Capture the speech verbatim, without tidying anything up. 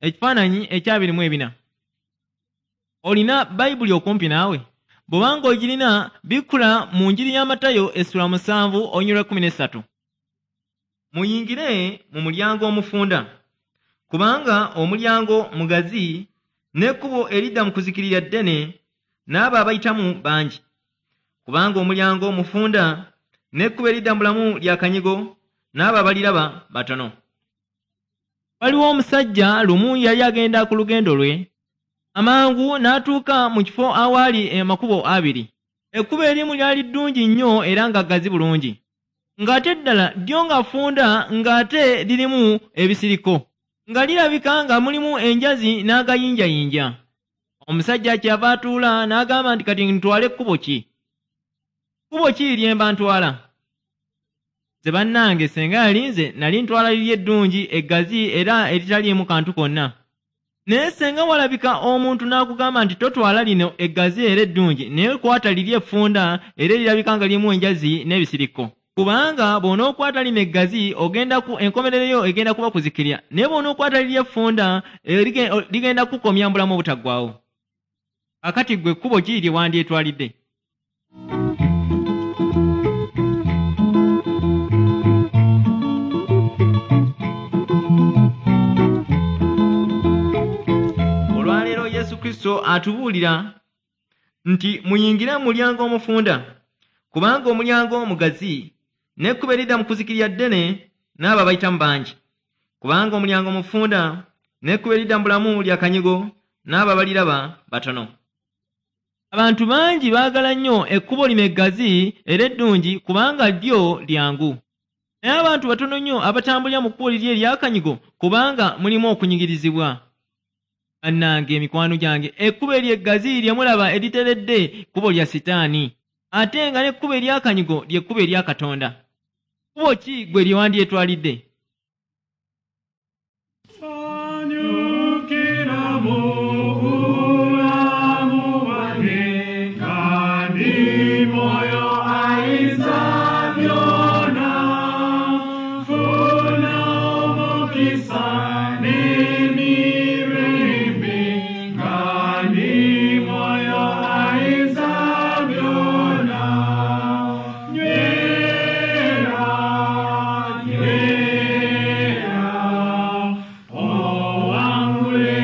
Ekifaananyi ekyabiri mu ebina. Olina Bayibuli okumpi naawe? Bw'obanga ogirina, bikkula mu njiri ya Matayo essula musanvu olunyiriri lwa kkumi n'essatu. Muyingire mu mulyango omufunda, kubanga omulyango mugazi n'ekkubo eridda mu kuzikirira ddene, n'abo abayitamu bangi. Kubanga omulyango mufunda n'ekkubo eridda mu bulamu lya kanyigo, n'abo abaliraba batono. Waliwo omusajja lumu yali agenda ku lugendo lwe, amangu n'atuuka mu kifo awaali amakubo abiri. Ekkubo erimu lyali ddungi nnyo era nga ggazi bulungi, ng'ate eddala lyo nga ffunda ng'ate lirimu ebisiriko, nga lirabika nga mulimu enjazi n'agayinjayinja. Omusajja kyava atuula n'agamba nti kati ntwale kkubo ki? Kkubo ki lye mba ntwala? Nze bannange senga yali nze nali ntwala liri eddungi eggazi era eritaliimu kantu konna. Naye senga walabika omuntu n'akugamba nti totwala lino eggazi era eddungi, naye kwata liri effunda era erirabika nga lirimu enjazi n'ebisiriko. Kubanga bw'onookwata lino eggazi ogenda ku enkomerero yo egenda kuba kuzikirira, naye bw'onookwata liri effunda ligenda kukomya mu bulamu obutaggwaawo. Kaakati ggwe kkubo ki lye wandyetwalidde? Olwaleero Yesu Kristo atubuulira nti muyingire mu mulyango omufunda, kubanga omulyango mugazi n'ekkubo eridda mu kuzikirira ddene, n'abo abayitamu bangi. Kubanga omulyango mufunda n'ekkubo eridda mu bulamu lya kanyigo, n'abo abaliraba batono. Abantu bangi baagala nnyo ekkubo lino eggazi era eddungi kubanga lyo lyangu. Naye abantu batono nnyo abatambulira mu kkubo liri ery'akanyigo kubanga mulimu okunyigirizibwa. Bannange emikwano gyange, ekkubo eryo eggazi lye mulaba eriteredde kkubo lya Sitaani, ate nga n'ekkubo ery'akanyigo lye kkubo erya Katonda. Kkubo ki gwe lye wandyetwalidde? Sanyukira mu bulamu bwange, nga ndi Mwoyo ayinza byonna. Nfuna omukisa n'emirembe, nga ndi Mwoyo ayinza byonna. Nywera, nywera, owangule